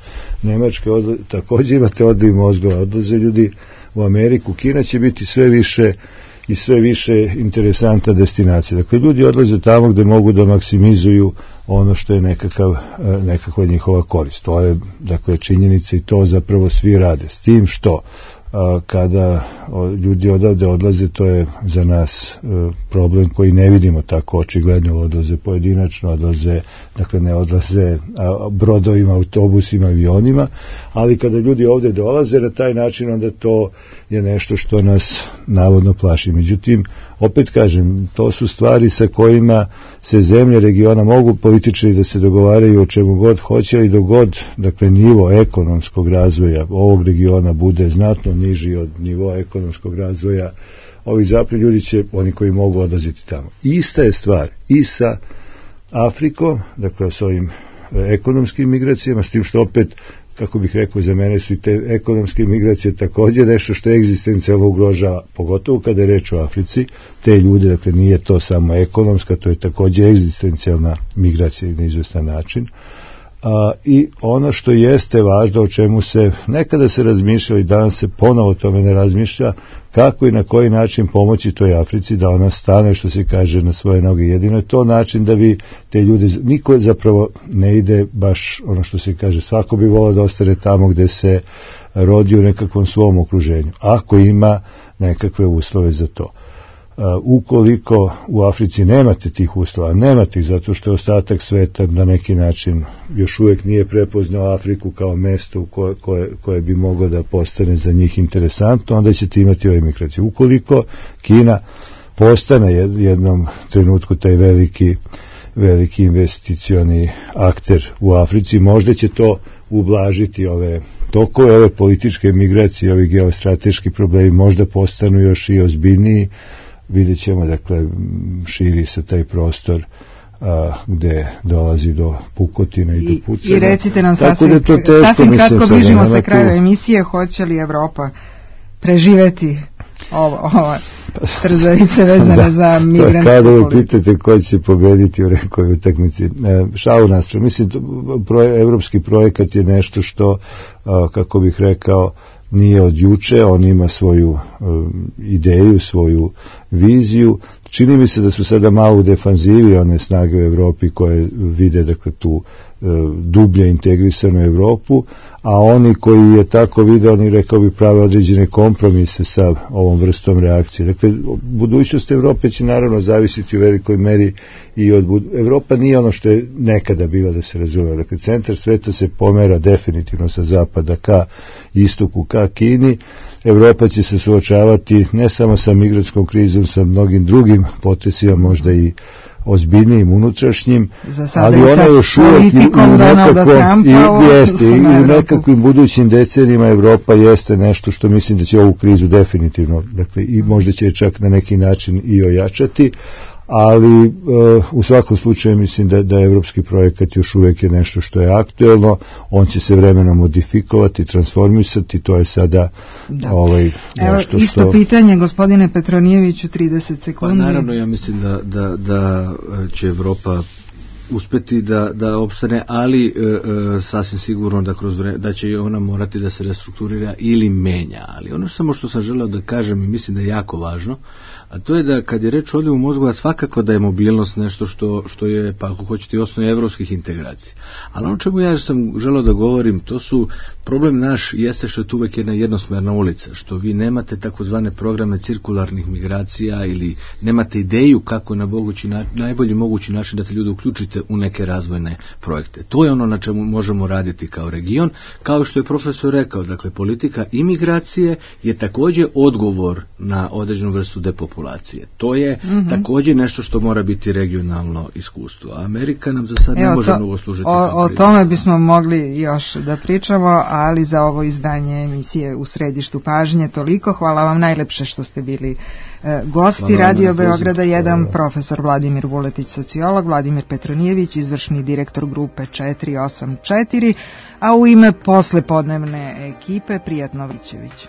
Nemačke, također imate odliv mozgova, odlaze ljudi u Ameriku. Kina će biti sve više i sve više interesantna destinacija. Dakle, ljudi odlaze tamo gde mogu da maksimizuju ono što je nekakva njihova korist. To je, dakle, činjenica i to zapravo svi rade. S tim što kada ljudi odavde odlaze, to je za nas problem koji ne vidimo tako očigledno, odlaze pojedinačno, odlaze, dakle ne odlaze brodovima, autobusima, avionima, ali kada ljudi ovde dolaze na taj način, onda to je nešto što nas navodno plaši. Međutim, opet kažem, to su stvari sa kojima se zemlje regiona mogu političari da se dogovaraju o čemu god hoće i dogod, dakle, nivo ekonomskog razvoja ovog regiona bude znatno niži od nivoa ekonomskog razvoja ovih zapadnih, ljudi će, oni koji mogu, odlaziti tamo. Ista je stvar i sa Afrikom, dakle s ovim ekonomskim migracijama, s tim što opet, kako bih rekao, za mene su i te ekonomske migracije također nešto što egzistencijalno ugrožava, pogotovo kada je reč o Africi, te ljude, dakle nije to samo ekonomska, to je također egzistencijalna migracija na izvestan način. I ono što jeste važno, o čemu se nekada se razmišljalo i danas se ponovo o tome ne razmišlja, kako i na koji način pomoći toj Africi da ona stane, što se kaže, na svoje noge. Jedino je to način da vi te ljude, niko zapravo ne ide baš ono što se kaže, svako bi volao da ostane tamo gde se rodi u nekakvom svom okruženju, ako ima nekakve uslove za to. Ukoliko u Africi nemate tih uslova, nemate ih zato što je ostatak sveta na neki način još uvijek nije prepoznao Afriku kao mesto koje bi moglo da postane za njih interesantno, onda ćete imati ove migracije. Ukoliko Kina postane jednom trenutku taj veliki investicioni akter u Africi, možda će to ublažiti ove tokove, ove političke migracije, ovi geostrateški problemi možda postanu još i ozbiljniji. Vidjet ćemo, dakle, širi se taj prostor gde dolazi do pukotina i do pucanja. I recite nam sasvim kratko, bližimo se kraju emisije, hoće li Evropa preživeti ova trzavice vezane za migrantsku kada vi politiku? pitate ko će pobediti u nekoj utakmici. Šalu nastranu. Mislim, evropski projekat je nešto što, kako bih rekao, nije od juče, on ima svoju ideju, svoju viziju. Čini mi se da su sada malo u defanzivi one snage u Evropi koje vide, dakle, tu dublje integrisanu Evropu, a oni koji je tako vide, oni, rekao bi, prave određene kompromise sa ovom vrstom reakcije. Dakle, budućnost Evrope će naravno zavisiti u velikoj meri i od Evropa nije ono što je nekada bila, da se razume. Dakle, centar sveta se pomera definitivno sa zapada ka istoku, ka Kini. Evropa će se suočavati ne samo sa migrantskom krizom, sa mnogim drugim potresima, možda i ozbiljnijim unutrašnjim, ali ona još uvijek u nekakvim budućim decenijima Evropa jeste nešto što mislim da će ovu krizu definitivno, dakle, i možda će čak na neki način i ojačati, ali u svakom slučaju mislim da evropski projekat još uvijek je nešto što je aktuelno, on će se vremenom modifikovati, transformisati, to je sada nešto isto što... pitanje, gospodine Petronijeviću, 30 sekundi. Pa naravno, ja mislim da će Evropa uspeti da opstane, ali sasvim sigurno da će ona morati da se restrukturira ili menja. Ali ono samo što sam želeo da kažem i mislim da je jako važno, a to je da kad je reč o odljevu mozgova, svakako da je mobilnost nešto što je, pa ako hoćete, i osnov evropskih integracija. Ali ono čemu ja sam želeo da govorim, to su, problem naš jeste što je tu uvek jedna jednosmerna ulica, što vi nemate takozvane programe cirkularnih migracija ili nemate ideju kako na najbolji mogući način da te ljude uključite u neke razvojne projekte. To je ono na čemu možemo raditi kao region, kao što je profesor rekao, dakle politika imigracije je također odgovor na određenu vrstu depopulacije. To je također nešto što mora biti regionalno iskustvo. A Amerika nam za sad ne može mnogo služiti. O tome bismo mogli još da pričamo, ali za ovo izdanje emisije U središtu pažnje toliko. Hvala vam najlepše što ste bili gosti Radio Beograda 1, profesor Vladimir Vuletić, sociolog, Vladimir Petronijević, izvršni direktor grupe 484, a u ime poslepodnevne ekipe Prijatno Vićević.